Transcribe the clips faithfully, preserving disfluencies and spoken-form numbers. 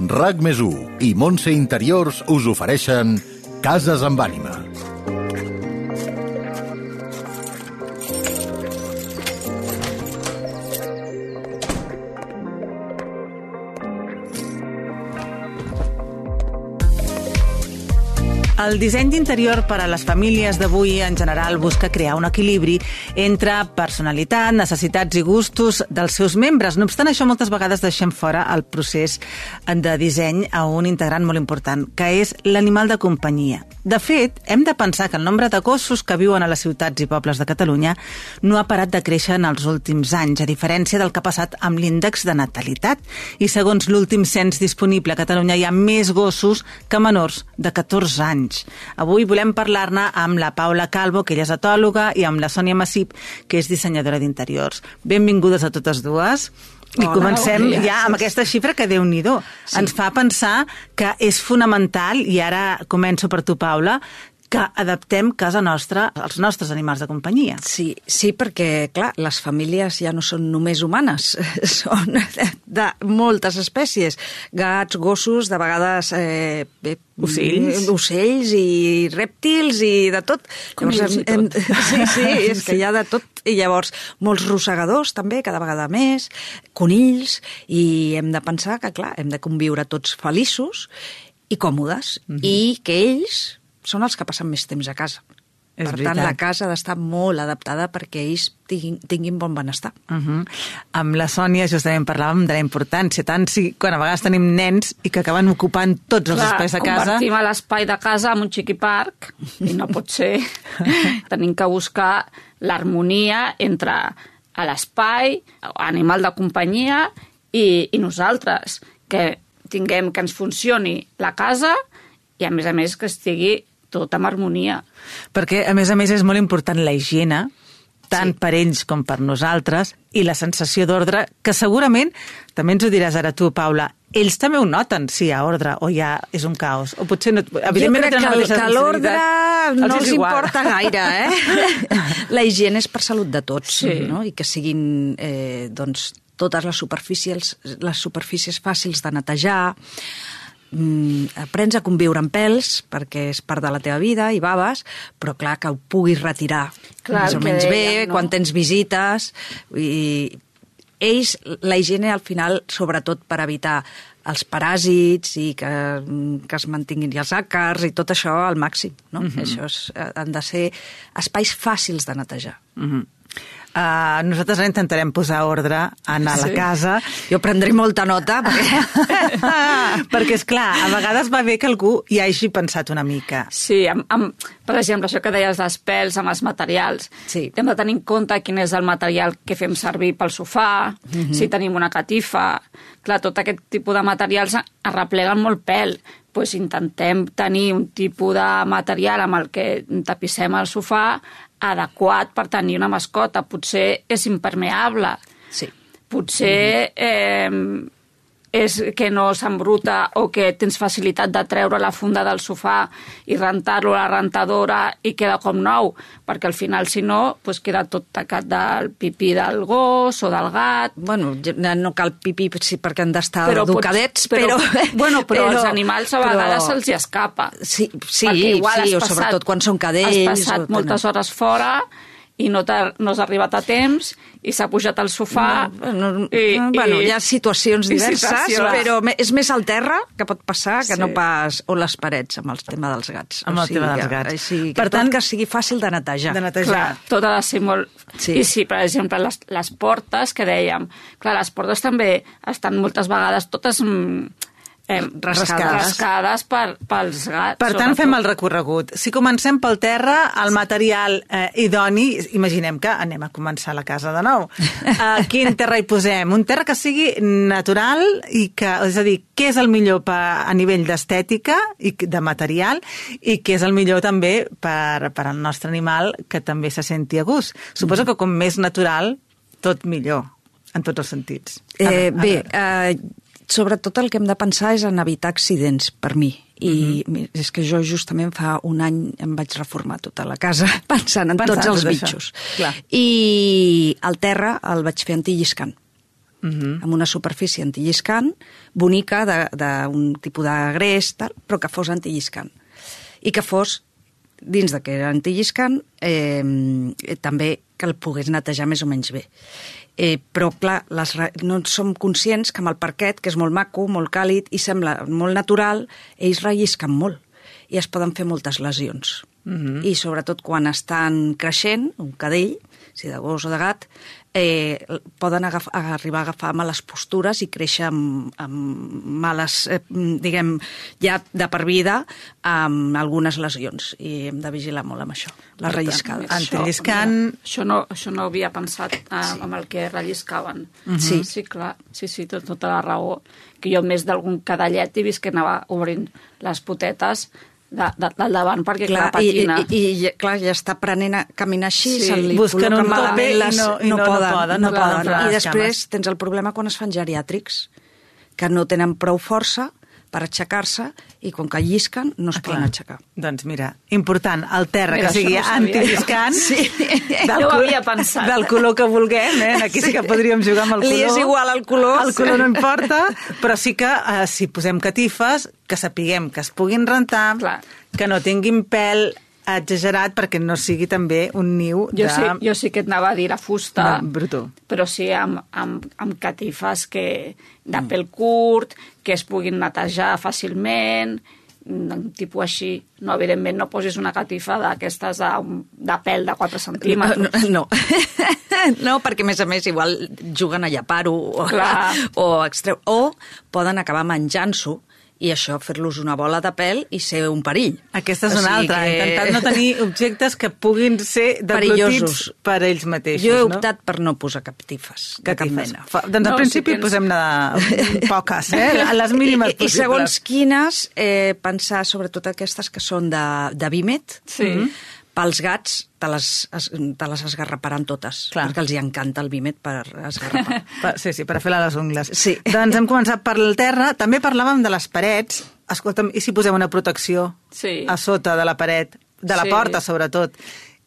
RAC més u i Montse Interiors us ofereixen Cases amb ànima. El disseny d'interior per a les famílies d'avui en general busca crear un equilibri entre personalitat, necessitats i gustos dels seus membres. No obstant això, moltes vegades deixem fora el procés de disseny a un integrant molt important, que és l'animal de companyia. De fet, hem de pensar que el nombre de gossos que viuen a les ciutats i pobles de Catalunya no ha parat de créixer en els últims anys, a diferència del que ha passat amb l'índex de natalitat. I segons l'últim cens disponible a Catalunya hi ha més gossos que menors de catorze anys. Avui volem parlar-ne amb la Paula Calvo, que ella és etòloga, i amb la Sònia Massip, que és dissenyadora d'interiors. Benvingudes a totes dues. I Hola, comencem ja gràcies. Amb aquesta xifra que, Déu-n'hi-do, sí. Ens fa pensar que és fonamental, i ara començo per tu, Paula, que adaptem casa nostra als nostres animals de companyia. Sí, sí, perquè, clar, les famílies ja no són només humanes, són de moltes espècies. Gats, gossos, de vegades eh, ocells. ocells i rèptils i de tot. Llavors, hem, tot. Hem, sí, sí, és que hi ha de tot. I llavors, molts rosegadors també, cada vegada més, conills, i hem de pensar que, clar, hem de conviure tots feliços i còmodes, mm-hmm. i que ells són els que passen més temps a casa. És per veritat. tant, la casa ha d'estar molt adaptada perquè ells tinguin, tinguin bon benestar. Uh-huh. Amb la Sònia justament parlàvem de la importància, tant si quan a vegades tenim nens i que acaben ocupant tots els Clar, espais de casa. Convertim l'espai de casa en un xiquiparc i no pot ser. Tenim que buscar l'harmonia entre l'espai, animal de companyia i, i nosaltres, que tinguem que ens funcioni la casa i a més a més que estigui tot amb harmonia. Perquè, a més a més, és molt important la higiene, tant sí. per ells com per nosaltres, i la sensació d'ordre, que segurament, també ens ho diràs ara tu, Paula, ells també ho noten, si hi ha ordre o ja és un caos. O potser no, evidentment jo crec no que, que l'ordre no els igual. importa gaire, eh? La higiene és per salut de tots, sí. no? I que siguin, eh, doncs, totes les superfícies, les superfícies fàcils de netejar. Mm, aprens a conviure amb pèls perquè és part de la teva vida i baves, però clar, que ho puguis retirar clar, més o menys bé, deien, no? quan tens visites, i ells, la higiene al final, sobretot per evitar els paràsits i que, que es mantinguin els àcars i tot això al màxim, no? Mm-hmm. Això és, han de ser espais fàcils de netejar. Mm-hmm. Uh, nosaltres intentarem posar ordre en a la sí. casa. Jo prendré molta nota perquè... perquè, esclar, a vegades va bé que algú hi hagi pensat una mica. Sí, amb, amb, per exemple, això que deies dels pèls amb els materials. Sí. Hem de tenir en compte quin és el material que fem servir pel sofà, mm-hmm. si tenim una catifa. Clar, tot aquest tipus de materials arrepleguen molt pèl. Pues intentem tenir un tipus de material amb el que tapissem el sofà adequat per tenir una mascota. Potser és impermeable. Sí. Potser eh, és que no s'embruta o que tens facilitat de treure la funda del sofà i rentar-lo a la rentadora i queda com nou, perquè al final, si no, pues queda tot tacat del pipí del gos o del gat. Bueno, no cal pipí sí, perquè han d'estar però educadets, pots, però, però... Bueno, però, però als animals a vegades però... se'ls hi escapa. Sí, sí, sí passat, o sobretot quan són cadells. Has passat o moltes hores fora i no, no has arribat a temps i s'ha pujat al sofà. No, no, i, bueno, i, hi ha situacions diverses, situacions. Però és més al terra que pot passar que sí. no pas o les parets, amb el tema dels gats. Amb o el sigui, tema dels gats. Així, que per tant, que sigui fàcil de netejar. De netejar. Clar, tot ha de ser molt... Sí. I sí, per exemple, les, les portes que dèiem, clar, les portes també estan moltes vegades totes... Eh, rascades, rascades per, pels gats. Per tant, fem el recorregut. Si comencem pel terra, el material eh, idoni, imaginem que anem a començar la casa de nou. Uh, quin terra hi posem? Un terra que sigui natural i que, és a dir, què és el millor per, a nivell d'estètica i de material i què és el millor també per, per al nostre animal que també se senti a gust. Suposo que com més natural, tot millor, en tots els sentits. Eh, a veure, bé, eh, sobretot el que hem de pensar és en evitar accidents, per mi. I uh-huh. és que jo justament fa un any em vaig reformar tota la casa pensant en pensant tots els tot bitxos. Clar. I el terra el vaig fer antilliscant. uh-huh. amb una superfície antilliscant, bonica, d'un tipus de greix, tal, però que fos antilliscant. I que fos, dins de que era antilliscant, eh, també que el pogués netejar més o menys bé. Eh, però, clar, les, no som conscients que amb el parquet, que és molt maco, molt càlid i sembla molt natural, ells rellisquen molt i es poden fer moltes lesions. Mm-hmm. I sobretot quan estan creixent, un cadell, si de gos o de gat, eh, poden agaf arribar a agafar males postures i créixer amb, amb males, eh, diguem, ja de per vida, amb algunes lesions. I hem de vigilar molt amb això, les relliscades. Antilliscant... Això no, això no havia pensat eh, sí. amb el que relliscaven. Mm-hmm. Sí. Sí, clar, sí, sí, tot, tota la raó. Que jo més d'algun cadallet he vist que anava obrint les potetes de, de, del davant, perquè clar, clar patina. I, i, i clar, ja està aprenent a caminar així, sí. se li busquen un tope i no, i no, no, poden. No poden, no no poden. poden. I després tens el problema quan es fan geriàtrics, que no tenen prou força per aixecar-se i quan que llisquen no es ah, poden aixecar. Doncs mira, important, el terra, mira, que sigui no antilliscant, sí. del, no havia pensat. Del color que vulguem, eh? Aquí sí que podríem jugar amb el color. Li és igual el color. El color no importa, però sí que eh, si posem catifes, que sapiguem que es puguin rentar, clar. Que no tinguin pèl exagerat perquè no sigui també un niu jo de... Sí, jo sí que et anava a dir a fusta, brutó. Però sí amb, amb, amb catifes que, de pèl curt, que es puguin netejar fàcilment, un tipus així. No, evidentment, no posis una catifa d'aquestes de, de pèl de quatre centímetres. No, no. No, perquè a més a més igual juguen a llapar-ho o, o, extreu, o poden acabar menjant-s'ho i això, fer-los una bola de pèl i ser un perill. Aquesta és una altra, que... intentar no tenir objectes que puguin ser deglutits per ells mateixos. Jo he optat no? per no posar catifes, de cap mena. Doncs al no, principi si tens... posem-ne poques, eh? A les mínimes possibles. I segons quines, eh, pensar sobretot aquestes que són de, de vímet, sí. pels gats te les, te les esgarraparan totes, clar. Perquè els hi encanta el vímet per esgarrapar. Sí, sí, per fer-la a les ungles. Sí. Doncs hem començat per el terra, també parlàvem de les parets. Escolta'm, i si posem una protecció sí. a sota de la paret, de la sí. porta sobretot,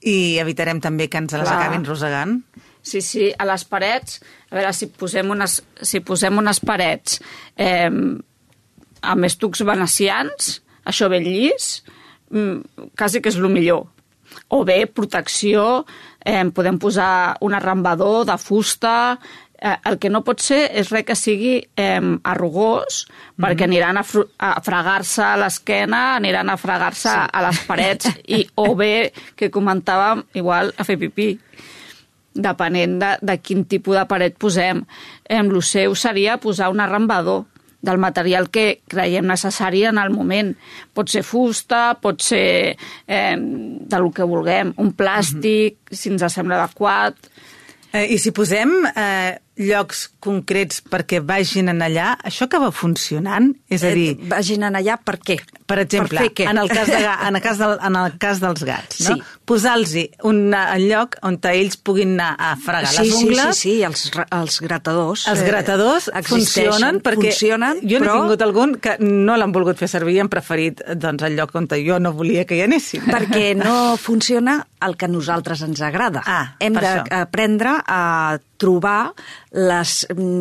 i evitarem també que ens les clar. Acabin rosegant? Sí, sí, a les parets, a veure, si posem unes, si posem unes parets eh, amb estucs venecians, això ben llis, quasi que és el millor. O bé, protecció, eh, podem posar un arrambador de fusta, eh, el que no pot ser és res que sigui eh, arrugós, mm-hmm. perquè aniran a, a fregar-se a l'esquena, aniran a fregar-se sí. a les parets, i, o bé, que comentàvem, igual a fer pipí, depenent de, de quin tipus de paret posem. Eh, el seu seria posar un arrambador, del material que creiem necessari en el moment. Pot ser fusta, pot ser eh, del que vulguem, un plàstic, mm-hmm. si ens sembla adequat. Eh, I si posem eh, llocs concrets perquè vagin en allà, això acaba funcionant? És a dir... Eh, vagin en allà per què? Per exemple, per en, el cas de, en, el cas del, en el cas dels gats, no? Sí. Posar-los un lloc on ells puguin anar a fregar sí, les ungles. Sí, sí, sí, els, els gratadors. Els gratadors eh, funcionen perquè funcionen, jo n'he però... tingut algun que no l'han volgut fer servir i han preferit doncs, el lloc on jo no volia que hi anessin. Perquè no funciona el que a nosaltres ens agrada. Ah, Hem d'aprendre a trobar les,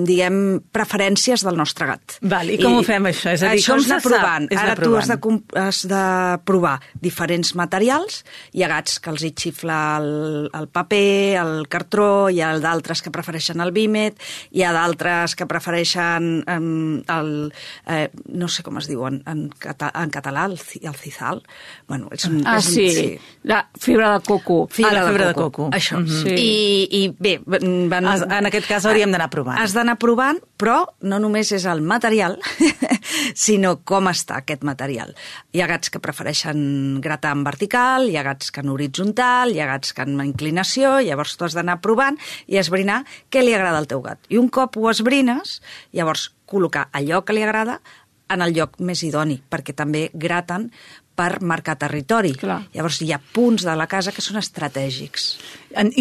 diguem, preferències del nostre gat. Val, i com I, ho fem, això? És a dir, això com és anar provant. És Ara anar tu provant. has de, has de provar diferents materials. Hi ha gats que els hi xifla el, el paper, el cartró, hi ha d'altres que prefereixen el vímet, hi ha d'altres que prefereixen um, el... Eh, no sé com es diu en, en, cata, en català, el, el cizal. Bueno, és un, ah, és un, sí. sí, la fibra de coco. Fibra, ah, la fibra de coco. coco. Això. Mm-hmm. Sí. I, I bé... Van, en aquest cas hauríem d'anar provant. Has d'anar provant, però no només és el material, sinó com està aquest material. Hi ha gats que prefereixen gratar en vertical, hi ha gats que en horitzontal, hi ha gats que en inclinació, llavors tu has d'anar provant i esbrinar què li agrada al teu gat. I un cop ho esbrines, llavors col·locar allò que li agrada en el lloc més idoni, perquè també graten per marcar territori. Clar. Llavors hi ha punts de la casa que són estratègics.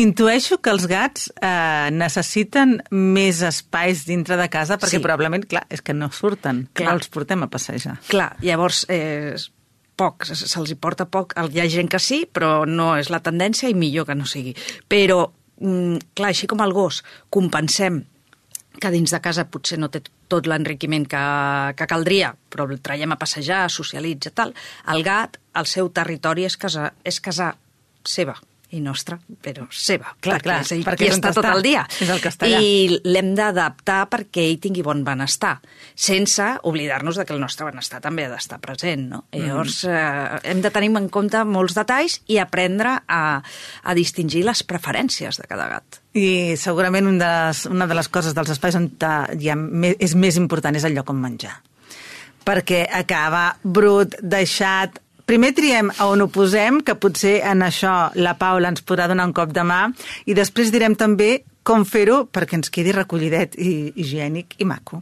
Intueixo que els gats eh, necessiten més espais dintre de casa perquè sí. Probablement, clar, és que no surten, clar. No els portem a passejar. Clar, llavors eh, poc, se'ls hi porta poc. Hi ha gent que sí, però no és la tendència i millor que no sigui. Però, mm, clar, així com el gos, compensem que dins de casa potser no té tot l'enriquiment que, que caldria, però el traiem a passejar, socialitza, tal. El gat, el seu territori és casa, és casa seva i nostra, però seva. Clar, perquè clar, és ell perquè qui és on està tot està. el dia. És el que està allà. I l'hem d'adaptar perquè ell tingui bon benestar, sense oblidar-nos de que el nostre benestar també ha d'estar present, no? Mm. Llavors, eh, hem de tenir en compte molts detalls i aprendre a, a distingir les preferències de cada gat. I segurament un de les, una de les coses dels espais on hi ha, és més important és el lloc on menjar. Perquè acaba brut, deixat. Primer triem a on ho posem, que potser en això la Paula ens podrà donar un cop de mà, i després direm també com fer-ho perquè ens quedi recollidet i higiènic i maco.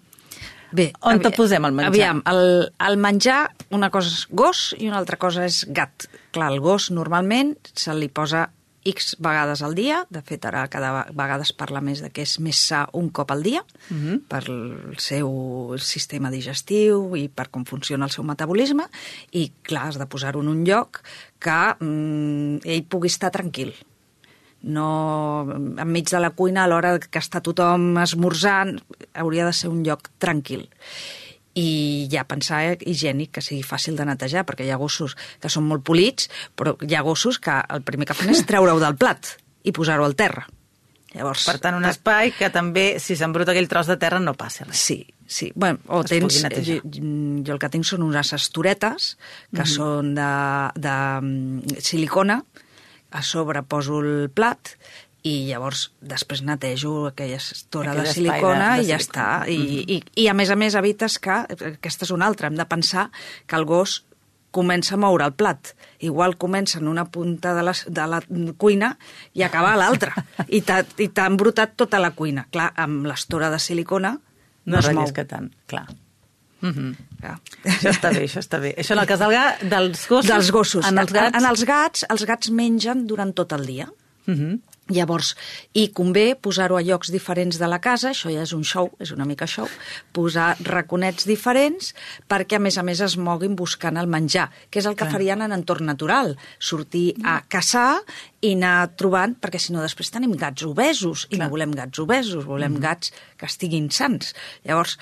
Bé, on te posem el menjar? Aviam, el, el menjar, una cosa és gos i una altra cosa és gat. Clar, el gos normalment se li posa X vegades al dia, de fet ara cada vegada es parla més de que és més sa un cop al dia, uh-huh. per el seu sistema digestiu i per com funciona el seu metabolisme, i clar, has de posar-ho en un lloc que mm, ell pugui estar tranquil. No enmig de la cuina, a l'hora que està tothom esmorzant, hauria de ser un lloc tranquil. I ja pensar higiènic, que sigui fàcil de netejar, perquè hi ha gossos que són molt polits, però hi ha gossos que el primer que fan és treure-ho del plat i posar-ho al terra. Llavors, per tant, un espai que també, si s'embruta aquell tros de terra, no passi res. Sí, sí. Bueno, o es tens, jo, jo el que tinc són unes estoretes que mm-hmm. són de, de silicona, a sobre poso el plat i llavors després netejo aquella estora Aquell de silicona de, de i ja silicona. està. I, mm-hmm. i, I a més a més evites que, aquesta és una altra, hem de pensar que el gos comença a moure el plat. Igual comença en una punta de la, de la cuina i acaba a l'altra. I t'ha embrutat tota la cuina. Clar, amb l'estora de silicona no, no es mou. que tant, clar. Mm-hmm. Clar. Això està bé, això està bé. Això en el cas del gat, dels gossos? Dels gossos. En els gats? En els gats, els gats mengen durant tot el dia. Mm-hmm. Llavors, i convé posar-ho a llocs diferents de la casa, això ja és un show, és una mica show, posar raconets diferents perquè, a més a més, es moguin buscant el menjar, que és el que Clar. farien en entorn natural, sortir a caçar i anar trobant, perquè si no després tenim gats obesos, i Clar. no volem gats obesos, volem mm-hmm. gats que estiguin sans. Llavors,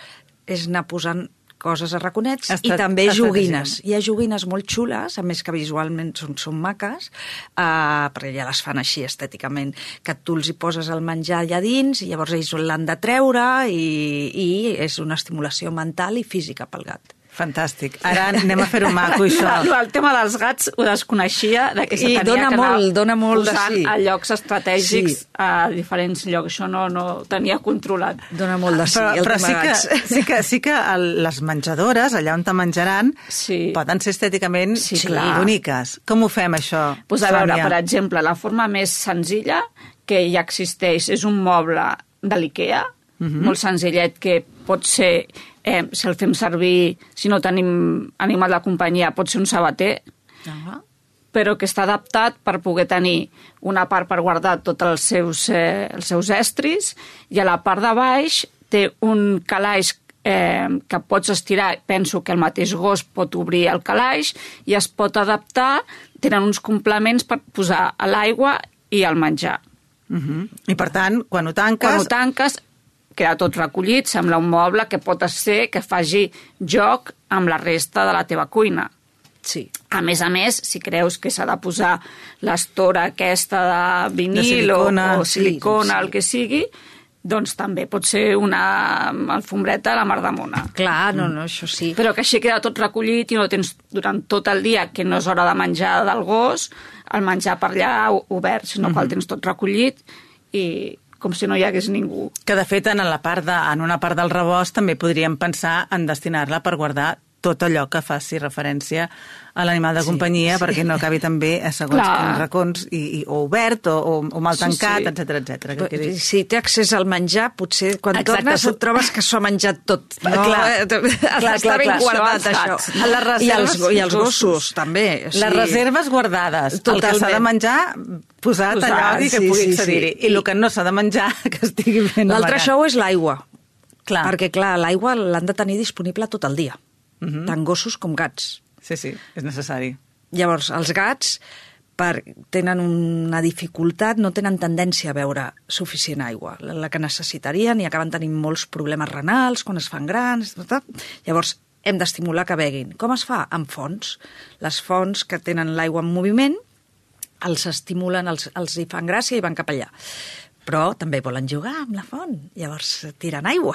és anar posant coses a raconets estat, i també joguines. Hi ha joguines molt xules, a més que visualment són, són maques, uh, perquè ja les fan així estèticament, que tu els hi poses el menjar allà dins i llavors ells l'han de treure i, i és una estimulació mental i física pel gat. Fantàstic. Ara anem a fer-ho maco, això. El, el tema dels gats ho desconeixia, de que se tenia dona que molt, anar dona molt posant sí. a llocs estratègics sí. a diferents llocs. Això no, no tenia controlat. Dona molt de sí, però, el però tema sí que, sí que, sí que el, les menjadores, allà on te menjaran, sí. poden ser estèticament sí, boniques. Com ho fem, això, pues a Sònia? veure, per exemple, la forma més senzilla que ja existeix és un moble de l'IKEA, mm-hmm. molt senzillet, que pot ser... Eh, si el fem servir, si no tenim animal de companyia, pot ser un sabater, uh-huh. però que està adaptat per poder tenir una part per guardar tots els seus, eh, els seus estris, i a la part de baix té un calaix eh, que pots estirar, penso que el mateix gos pot obrir el calaix i es pot adaptar, tenen uns complements per posar a l'aigua i al menjar. Uh-huh. I per tant, quan ho tanques... Quan ho tanques, queda tot recollit, sembla un moble que pot ser que faci joc amb la resta de la teva cuina. Sí. A més a més, si creus que s'ha de posar l'estora aquesta de vinil de silicona, o, o silicona, sí, sí. el que sigui, doncs també pot ser una alfombreta a la mar de mona. Clar, no, no, això sí. Però que així queda tot recollit i no tens durant tot el dia, que no és hora de menjar del gos, el menjar per allà obert, sinó mm-hmm. que el tens tot recollit i com si no hi hagués ningú. Que, de fet, en, la part de, en una part del rebost també podríem pensar en destinar-la per guardar tot allò que faci referència a l'animal de sí, companyia, sí. perquè no acabi també a segons Clar. quins racons, i, i, o obert, o, o, o mal tancat, sí, sí. etcètera, etcètera. Que quedi... Si té accés al menjar, potser quan Exacte. tornes et trobes que s'ho ha menjat tot. No? Clar. Clar, està ben guardat, això. això. Les reserves, I els, I els gossos, gossos també. O sigui... Les reserves guardades. Totalment. El que s'ha de menjar, posat, posat allò i que sí, pugui sí, accedir-hi. sí. I el que no s'ha de menjar, que estigui ben amagat. L'altre show és l'aigua. Clar. Perquè, clar, l'aigua l'han de tenir disponible tot el dia. Uh-huh. Tant gossos com gats. Sí, sí, és necessari. Llavors, els gats per, tenen una dificultat, no tenen tendència a beure suficient aigua, la que necessitarien, i acaben tenint molts problemes renals quan es fan grans. Llavors, hem d'estimular que beguin. Com es fa? Amb fonts. Les fonts que tenen l'aigua en moviment els estimulen, els, els hi fan gràcia i van cap allà. Però també volen jugar amb la font, llavors tiren aigua.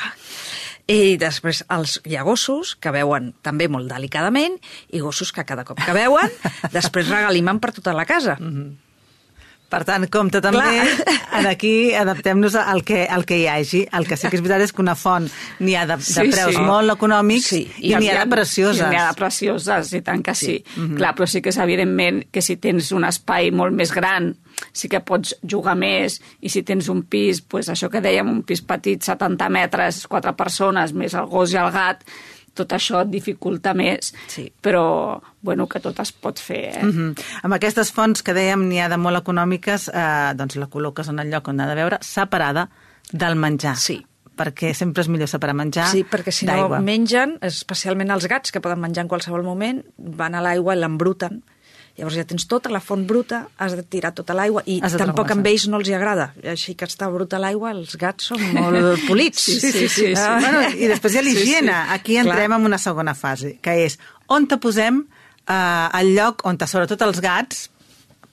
I després els, hi ha gossos que beuen també molt delicadament i gossos que cada cop que beuen després regalimen per tota la casa. Mm-hmm. Per tant, compte també, en aquí adaptem-nos al que, al que hi hagi. El que sí que és veritat és que una font n'hi ha de, de sí, preus sí. molt econòmics sí. i, i n'hi ha de precioses. I n'hi ha de precioses, i tant que sí. sí. Mm-hmm. Clar, però sí que és evidentment que si tens un espai molt més gran sí que pots jugar més, i si tens un pis, pues això que dèiem, un pis petit, setanta metres, quatre persones, més el gos i el gat, tot això et dificulta més, sí. però bueno, que tot es pot fer. Eh? Mm-hmm. Amb aquestes fonts que dèiem n'hi ha de molt econòmiques, eh, doncs la col·loques en el lloc on ha de beure, separada del menjar. Sí. Perquè sempre és millor separar menjar Sí, perquè si no d'aigua. mengen, especialment els gats, que poden menjar en qualsevol moment, van a l'aigua i l'embruten. Llavors ja tens tota la font bruta, has de tirar tota l'aigua, i tampoc amb ells no els hi agrada. Així que està bruta l'aigua, els gats són molt polits. Sí, sí, sí. sí, sí. Ah. Bueno, i després hi ha l'higiene. Sí, sí. Aquí entrem Clar. en una segona fase, que és on te posem eh, el lloc on te, sobretot els gats,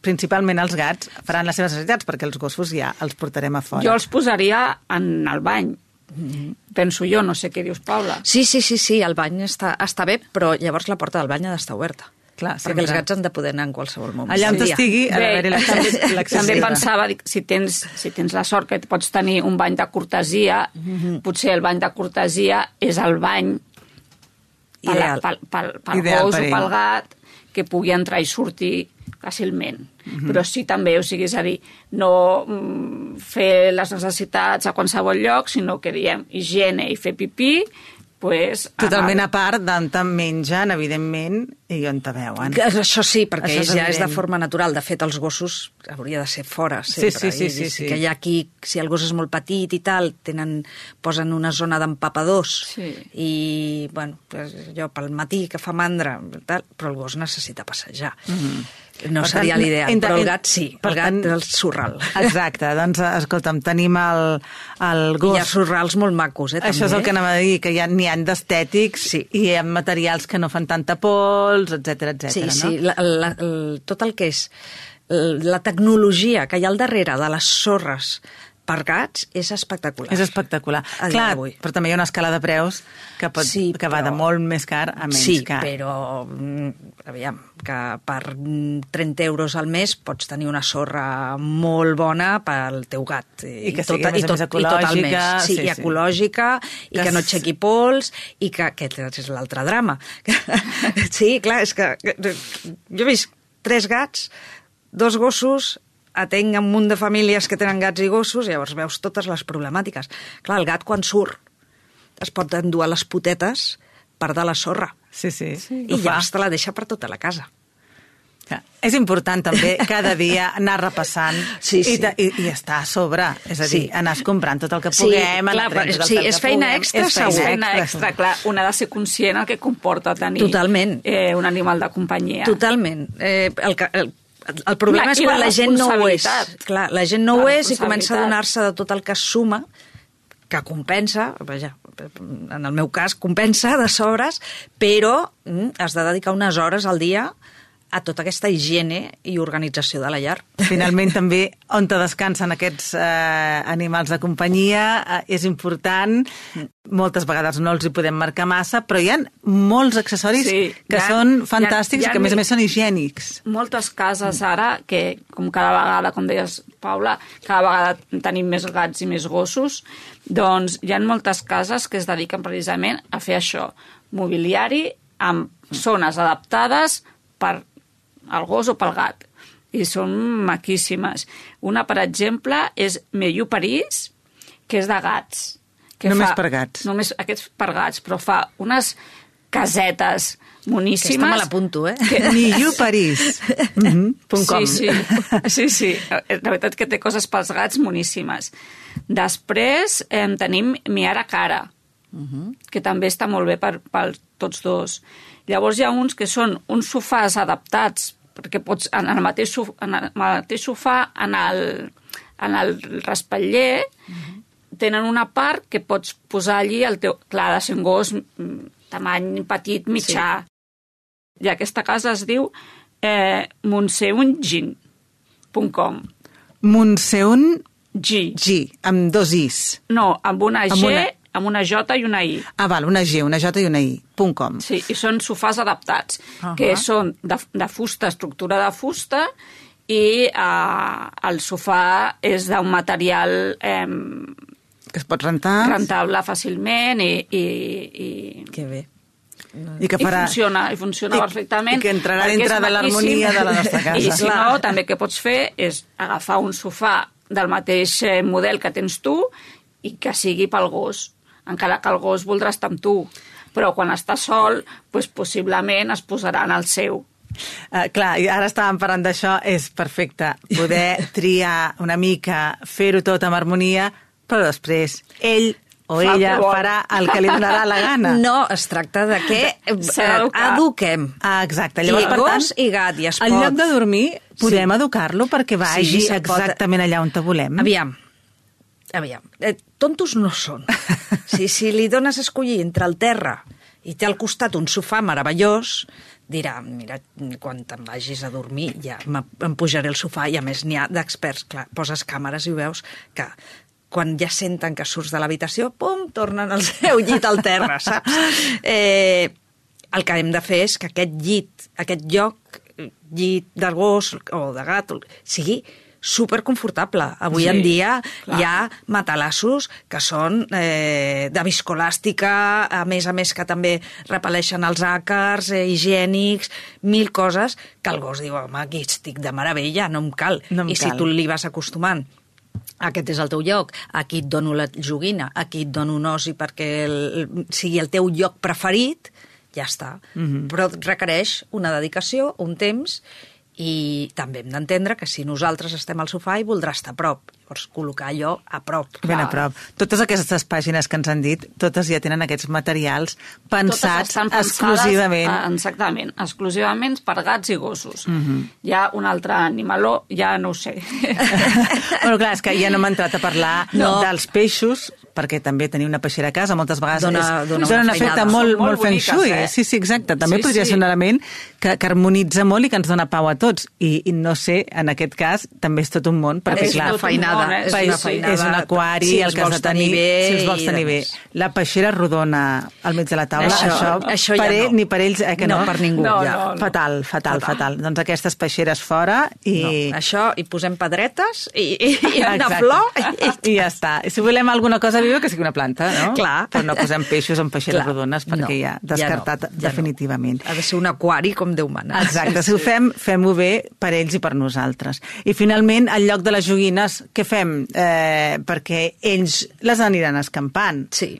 principalment els gats, faran les seves necessitats, perquè els gossos ja els portarem a fora. Jo els posaria en el bany. Mm-hmm. Penso jo, no sé què dius, Paula. Sí, sí, sí, sí, el bany està, està bé, però llavors la porta del bany ha d'estar oberta. Clar, perquè els gats han de poder anar en qualsevol moment. Allà on t'estigui, ha d'haver-hi l'accés. També pensava, si tens, si tens la sort que pots tenir un bany de cortesia, mm-hmm. potser el bany de cortesia és el bany pel, pel, pel, pel gos o pel gat, que pugui entrar i sortir fàcilment. Mm-hmm. Però sí també, o sigui, és a dir, no mm, fer les necessitats a qualsevol lloc, sinó que diem higiene i fer pipí, pues, totalment a part d'on te mengen, evidentment, i on te veuen. Això sí, perquè Això és ja evident. és de forma natural. De fet, els gossos hauria de ser fora, sempre. Sí, sí, sí. sí, sí. Que hi ha aquí, si el gos és molt petit i tal, tenen, posen una zona d'empapadors. Sí. I, bueno, pues, jo pel matí que fa mandra, tal, però el gos necessita passejar. Mm-hmm. No per seria l'ideal, però el gat sí, el gat és el surral. Exacte, doncs escolta'm, tenim el, el gos... I hi ha surrals molt macos, eh, també. Això és el que anava a dir, que ja n'hi ha d'estètics sí. i hi ha materials que no fan tanta pols, etcètera, etcètera. Sí, no? sí, la, la, la, tot el que és la tecnologia que hi ha al darrere de les sorres per gats és espectacular. És espectacular. Clar, però també hi ha una escala de preus que, pot, sí, que va però... de molt més car a menys sí, car. Sí, però aviam, que per trenta euros al mes pots tenir una sorra molt bona pel teu gat. I que sigui, tot, més, i tot, més ecològica. I tot sí, sí, i ecològica, sí. i que, que no aixequi pols, i que aquest és l'altre drama. Sí, clar, és que jo he vist tres gats, dos gossos, atenc un munt de famílies que tenen gats i gossos, i llavors veus totes les problemàtiques. Clar, el gat quan surt es pot endur a les potetes per de la sorra. Sí, sí. sí I llavors te la deixa per tota la casa. Ja. És important també cada dia anar repassant sí, sí. I, i, i estar a sobre, és a dir, sí. anar comprant tot el que sí, puguem. Clar, però, sí, és feina puguem. extra, és segur. És feina extra, clar. Un ha de ser conscient el que comporta tenir Totalment. Eh, un animal de companyia. Totalment. Eh, el, el, el problema és quan la, la gent no ho és. Clar, la gent no ho és i comença a donar-se de tot el que es suma, que compensa, vaja, en el meu cas compensa de sobres, però mm, has de dedicar unes hores al dia a tota aquesta higiene i organització de la llar. Finalment, també, on te descansen aquests eh, animals de companyia, eh, és important. Moltes vegades no els hi podem marcar massa, però hi ha molts accessoris sí, que ha, són fantàstics hi ha, hi ha, i que, a més a més, són higiènics. Moltes cases ara, que com cada vegada, com deies, Paula, cada vegada tenim més gats i més gossos, doncs hi ha moltes cases que es dediquen precisament a fer això, mobiliari amb zones adaptades per al gos o pel gat. I són maquíssimes. Una, per exemple, és Meiu París, que és de gats. Que només fa, per gats. Només aquests per gats, però fa unes casetes moníssimes. Aquesta me l'apunto, eh? Que... Meiu París. mm-hmm. Sí, sí. sí, sí. La veritat que té coses pels gats moníssimes. Després eh, tenim Miara Cara, uh-huh. que també està molt bé per, per tots dos. Llavors hi ha uns que són uns sofàs adaptats perquè pots, en el mateix sofà, en el mateix sofà, en el, en el respatller, uh-huh. tenen una part que pots posar allí el teu... Clar, ha de ser un gos tamany petit, mitjà. Sí. I aquesta casa es diu eh, montseungin punt com. Montseun... G. G, amb dos is. No, amb una G, amb una, amb una J i una I. Ah, val, una G, una J i una I, punt com. Sí, i són sofàs adaptats, uh-huh. que són de, de fusta, estructura de fusta, i eh, el sofà és d'un material... Eh, que es pot rentar. Rentable fàcilment i... i, i... Que bé. I que farà... I funciona, i funciona I, perfectament. I que entrarà dintre de l'harmonia de la nostra casa. I si Clar. no, també el que pots fer és agafar un sofà del mateix model que tens tu i que sigui pel gos, encara que el gos voldrà estar amb tu. Però quan està sol, doncs possiblement es posarà en el seu. Uh, clar, i ara estàvem parlant d'això, és perfecte poder triar una mica, fer-ho tot amb harmonia, però després ell o Fa ella farà el que li donarà la gana. No, es tracta de que eduquem. Ah, exacte. Llavors, I per gos tant, i gat, i es pot... En lloc de dormir, podem sí. educar-lo perquè vagi sí, exactament pot... allà on te volem. Aviam, aviam. Eh, tontos no són. si, si li dones a escollir entre el terra i té al costat un sofà meravellós, dirà, mira, quan te'n vagis a dormir ja em pujaré al sofà, i a més n'hi ha d'experts, clar, poses càmeres i ho veus que quan ja senten que surts de l'habitació, pum, tornen al seu llit al terra, saps? Eh, el que hem de fer és que aquest llit, aquest lloc, llit de gos o de gat, sigui superconfortable. Avui sí, en dia clar. Hi ha matalassos que són eh, de viscolàstica, a més a més que també repel·leixen els àcars, eh, higiènics, mil coses que el gos diu, home, aquí estic de meravella, no em cal. No em I cal. Si tu li vas acostumant, aquest és el teu lloc, aquí et dono la joguina, aquí et dono un osi perquè el, sigui el teu lloc preferit, ja està. Mm-hmm. Però requereix una dedicació, un temps, i també hem d'entendre que si nosaltres estem al sofà i voldrà estar a prop, llavors col·locar allò a prop. Ben a prop. Totes aquestes pàgines que ens han dit, totes ja tenen aquests materials pensats exclusivament. Exactament, exclusivament per gats i gossos. Mm-hmm. Hi ha un altre animaló, ja no ho sé. Bueno, clar, és que ja no m'ha entrat a parlar no. dels peixos, perquè també tenir una peixera a casa moltes vegades dona, és, dona dona un efecte molt, molt, molt feng shui. Eh? Sí, sí, exacte. També sí, podria sí. ser un element que, que harmonitza molt i que ens dona pau a tots. I, i no sé, en aquest cas, també és tot un món, perquè és clar, una feinada, món, eh? és, una feinada, és un aquari, si el que has de tenir, bé, si els vols tenir bé. La peixera rodona al mig de la taula, això, això, això per ja ell, no. ni per ells, eh, que no, no per ningú. No, ja. no, no. Fatal, fatal, fatal, fatal. Doncs aquestes peixeres fora i... No, això, i posem pedretes i, i, i una flor. I... I ja està. I si volem alguna cosa viva, que sigui una planta, no? Clar. Però no posem peixos en peixeres Clar. rodones, perquè no, ja descartat ja no, ja definitivament. No. Ha de ser un aquari com Déu mana. Exacte, si ho fem, fem-ho bé per ells i per nosaltres. I finalment, al lloc de les joguines, què fem? Eh, perquè ells les aniran escampant. Sí.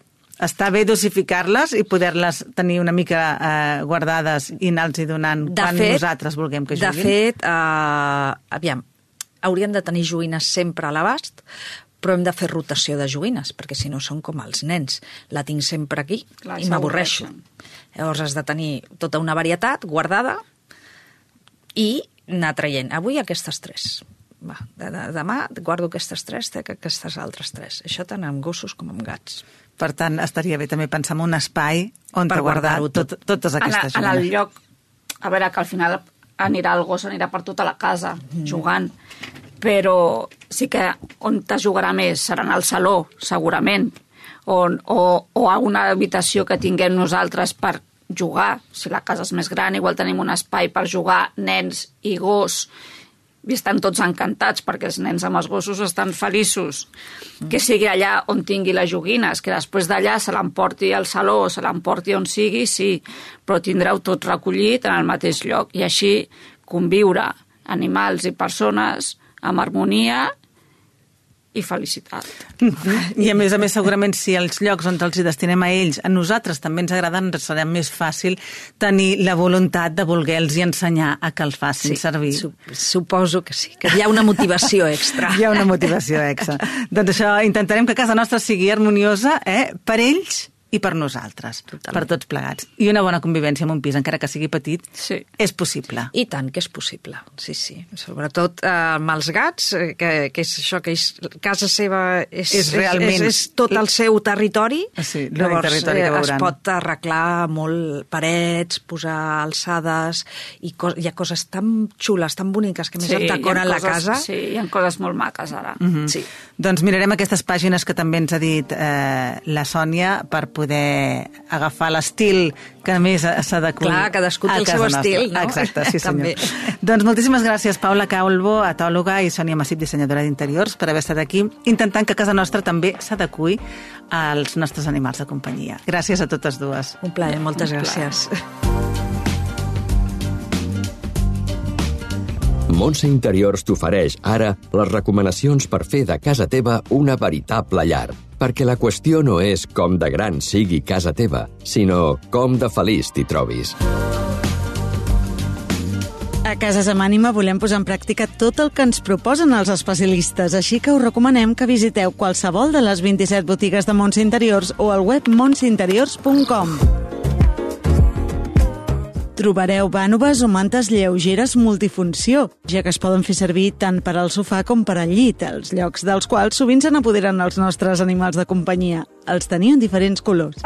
Està bé dosificar-les i poder-les tenir una mica eh, guardades i anar-los donant de quan fet, nosaltres vulguem que juguin. De fet, eh, aviam, hauríem de tenir joguines sempre a l'abast, però hem de fer rotació de joguines, perquè si no són com els nens. La tinc sempre aquí Clar, i m'avorreixo. Llavors has de tenir tota una varietat guardada i anar traient. Avui aquestes tres. Va, de, de, demà guardo aquestes tres, té aquestes altres tres. Això tant amb gossos com amb gats. Per tant, estaria bé també pensar en un espai on per guardar tot, totes aquestes joguines. En el lloc, a veure, que al final anirà el gos, anirà per tota la casa mm. jugant, però sí que on te jugarà més serà en el saló, segurament, on, o, o a una habitació que tinguem nosaltres per jugar. Si la casa és més gran, igual tenim un espai per jugar nens i gos, i estan tots encantats perquè els nens amb els gossos estan feliços. Mm. Que sigui allà on tingui les joguines, que després d'allà se l'emporti al saló o se l'emporti on sigui, sí, però tindreu tot recollit en el mateix lloc. I així conviure animals i persones amb harmonia i felicitat. I a més a més, segurament, si els llocs on els hi destinem a ells, a nosaltres també ens agraden, ens serà més fàcil tenir la voluntat de voler-los ensenyar a que els facin sí, servir. Suposo que sí, que hi ha una motivació extra. Hi ha una motivació extra. Doncs això, intentarem que casa nostra sigui harmoniosa, eh? Per ells i per nosaltres, Totalment. per tots plegats. I una bona convivència en un pis, encara que sigui petit, Sí. és possible. I tant que és possible, sí, sí. Sobretot eh, amb els gats, eh, que, que és això, que és, casa seva és, És realment- és, és tot el seu territori, Sí, l'únic llavors territori que eh, es veuran. pot arreglar molt parets, posar alçades, i co hi ha coses tan xules, tan boniques, que a més Sí, et decoren hi ha la coses- casa. Sí, hi ha coses molt maques ara. Mhm. Sí. Doncs mirarem aquestes pàgines que també ens ha dit eh, la Sònia per poder agafar l'estil que més s'adequi Clar, cadascú té a el casa seu nostra. estil, no? Exacte, sí senyor. També. Doncs moltíssimes gràcies, Paula Calvo, etòloga, i Sònia Massip, dissenyadora d'interiors, per haver estat aquí, intentant que casa nostra també s'adequi als nostres animals de companyia. Gràcies a totes dues. Un plaer, moltes Un plaer. gràcies. Montse Interiors t'ofereix ara les recomanacions per fer de casa teva una veritable llar. Perquè la qüestió no és com de gran sigui casa teva, sinó com de feliç t'hi trobis. A Cases amb Ànima volem posar en pràctica tot el que ens proposen els especialistes, així que us recomanem que visiteu qualsevol de les vint-i-set botigues de Montse Interiors o al web montse interiors punt com. Trobareu vànoves o mantes lleugeres multifunció, ja que es poden fer servir tant per al sofà com per al llit, els llocs dels quals sovint se n'apoderen els nostres animals de companyia. Els teniu en diferents colors.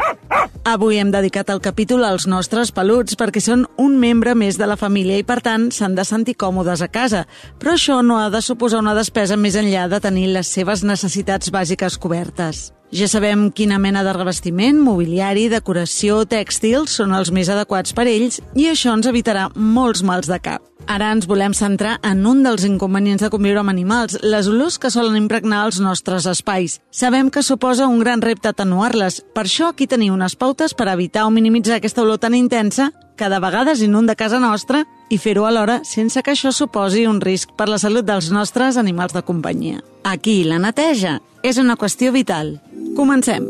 Avui hem dedicat el capítol als nostres peluts perquè són un membre més de la família i, per tant, s'han de sentir còmodes a casa. Però això no ha de suposar una despesa més enllà de tenir les seves necessitats bàsiques cobertes. Ja sabem quina mena de revestiment, mobiliari, decoració, tèxtils són els més adequats per ells i això ens evitarà molts mals de cap. Ara ens volem centrar en un dels inconvenients de conviure amb animals, les olors que solen impregnar els nostres espais. Sabem que suposa un gran repte atenuar-les, per això aquí teniu unes pautes per evitar o minimitzar aquesta olor tan intensa que de vegades inunda casa nostra i fer-ho alhora sense que això suposi un risc per la salut dels nostres animals de companyia. Aquí la neteja és una qüestió vital. Comencem.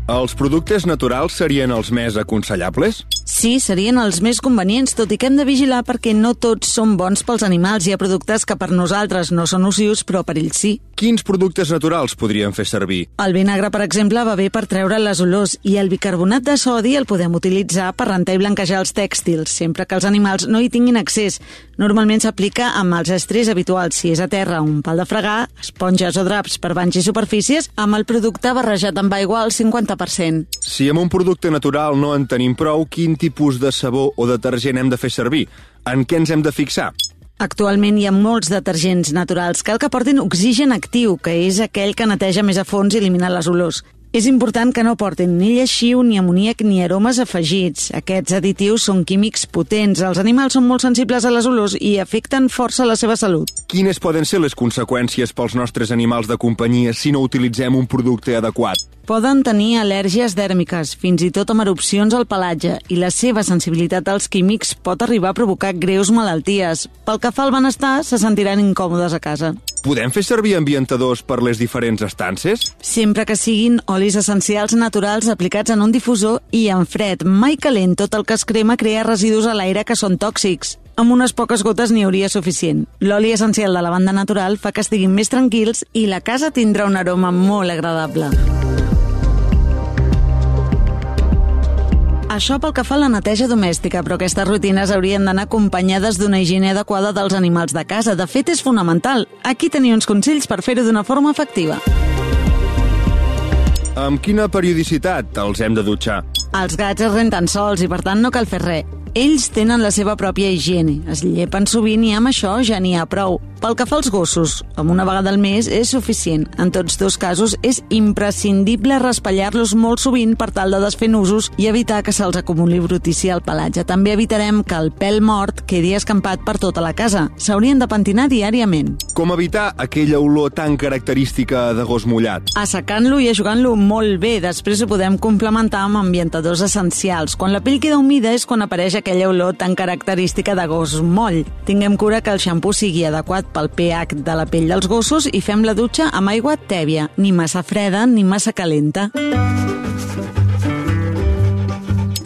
Els productes naturals serien els més aconsellables? Sí, serien els més convenients, tot i que hem de vigilar perquè no tots són bons pels animals. Hi ha productes que per nosaltres no són nocius, però per ells sí. Quins productes naturals podríem fer servir? El vinagre, per exemple, va bé per treure les olors i el bicarbonat de sodi el podem utilitzar per rentar i blanquejar els tèxtils, sempre que els animals no hi tinguin accés. Normalment s'aplica amb els estris habituals, si és a terra, un pal de fregar, esponges o draps per banys i superfícies, amb el producte barrejat amb aigua al cinquanta per cent. Si amb un producte natural no en tenim prou, quin tipus de sabó o detergent hem de fer servir? En què ens hem de fixar? Actualment hi ha molts detergents naturals. Cal que portin oxigen actiu, que és aquell que neteja més a fons i elimina les olors. És important que no portin ni lleixiu, ni amoníac, ni aromes afegits. Aquests additius són químics potents. Els animals són molt sensibles a les olors i afecten força la seva salut. Quines poden ser les conseqüències pels nostres animals de companyia si no utilitzem un producte adequat? Poden tenir al·lèrgies dèrmiques, fins i tot amb erupcions al pelatge, i la seva sensibilitat als químics pot arribar a provocar greus malalties. Pel que fa al benestar, se sentiran incòmodes a casa. Podem fer servir ambientadors per les diferents estances? Sempre que siguin olis essencials naturals aplicats en un difusor i en fred, mai calent. Tot el que es crema crea residus a l'aire que són tòxics. Amb unes poques gotes n'hi hauria suficient. L'oli essencial de lavanda natural fa que estiguin més tranquils i la casa tindrà un aroma molt agradable. Això pel que fa a la neteja domèstica, però aquestes rutines haurien d'anar acompanyades d'una higiene adequada dels animals de casa. De fet, és fonamental. Aquí teniu uns consells per fer-ho d'una forma efectiva. Amb quina periodicitat els hem de dutxar? Els gats es renten sols i, per tant, no cal fer res. Ells tenen la seva pròpia higiene, es llepen sovint i amb això ja n'hi ha prou. Pel que fa als gossos, amb una vegada al mes és suficient. En tots dos casos és imprescindible raspallar-los molt sovint per tal de desfer nusos i evitar que se'ls acumuli brutícia al pelatge. També evitarem que el pèl mort quedi escampat per tota la casa. S'haurien de pentinar diàriament. Com evitar aquella olor tan característica de gos mullat? Assecant-lo i ajugant-lo molt bé. Després ho podem complementar amb ambientadors essencials. Quan la pell queda humida és quan apareix aquella olor tan característica de gos moll. Tinguem cura que el xampú sigui adequat pel pH de la pell dels gossos i fem la dutxa amb aigua tèbia, ni massa freda ni massa calenta.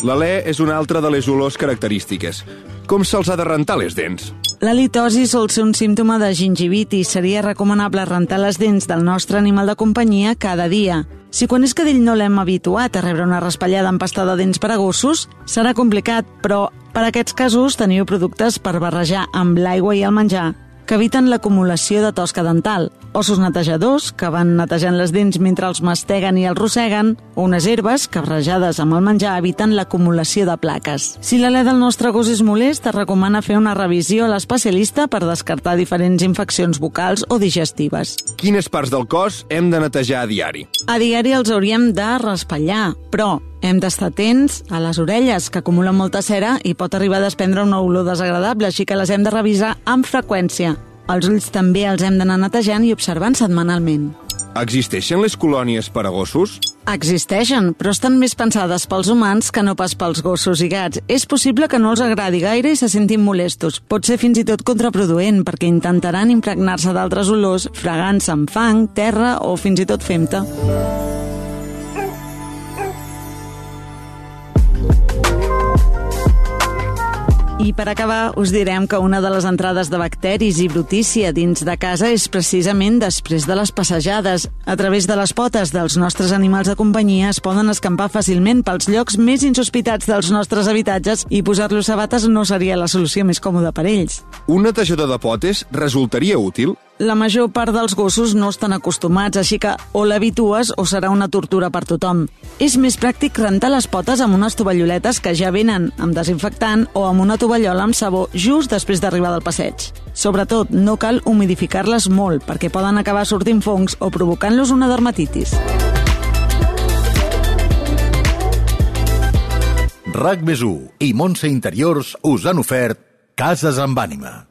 L'alè és una altra de les olors característiques. Com se'ls ha de rentar les dents? L'halitosi sol ser un símptoma de gingivitis. Seria recomanable rentar les dents del nostre animal de companyia cada dia. Si quan és cadell no l'hem habituat a rebre una raspallada amb pasta de dents per a gossos, serà complicat, però per a aquests casos teniu productes per barrejar amb l'aigua i el menjar que eviten l'acumulació de tosca dental, ossos netejadors que van netejant les dents mentre els masteguen i els rosseguen, o unes herbes que barrejades amb el menjar eviten l'acumulació de plaques. Si l'alè del nostre gos és molest, es recomana fer una revisió a l'especialista per descartar diferents infeccions bucals o digestives. Quines parts del cos hem de netejar a diari? A diari els hauríem de raspallar, però hem d'estar atents a les orelles, que acumulen molta cera i pot arribar a desprendre una olor desagradable, així que les hem de revisar amb freqüència. Els ulls també els hem d'anar netejant i observant setmanalment. Existeixen les colònies per a gossos? Existeixen, però estan més pensades pels humans que no pas pels gossos i gats. És possible que no els agradi gaire i se sentin molestos. Pot ser fins i tot contraproduent, perquè intentaran impregnar-se d'altres olors, fregant-se amb fang, terra o fins i tot fem-te. I per acabar, us direm que una de les entrades de bacteris i brutícia dins de casa és precisament després de les passejades. A través de les potes dels nostres animals de companyia es poden escampar fàcilment pels llocs més insospitats dels nostres habitatges i posar-los sabates no seria la solució més còmoda per ells. Un netejador de potes resultaria útil? La major part dels gossos no estan acostumats, així que o l'habitues o serà una tortura per tothom. És més pràctic rentar les potes amb unes tovalloletes que ja venen amb desinfectant o amb una tovallola amb sabó just després d'arribar del passeig. Sobretot, no cal humidificar-les molt, perquè poden acabar sortint fongs o provocant-los una dermatitis. RAC més u i Montse Interiors us han ofert Cases amb ànima.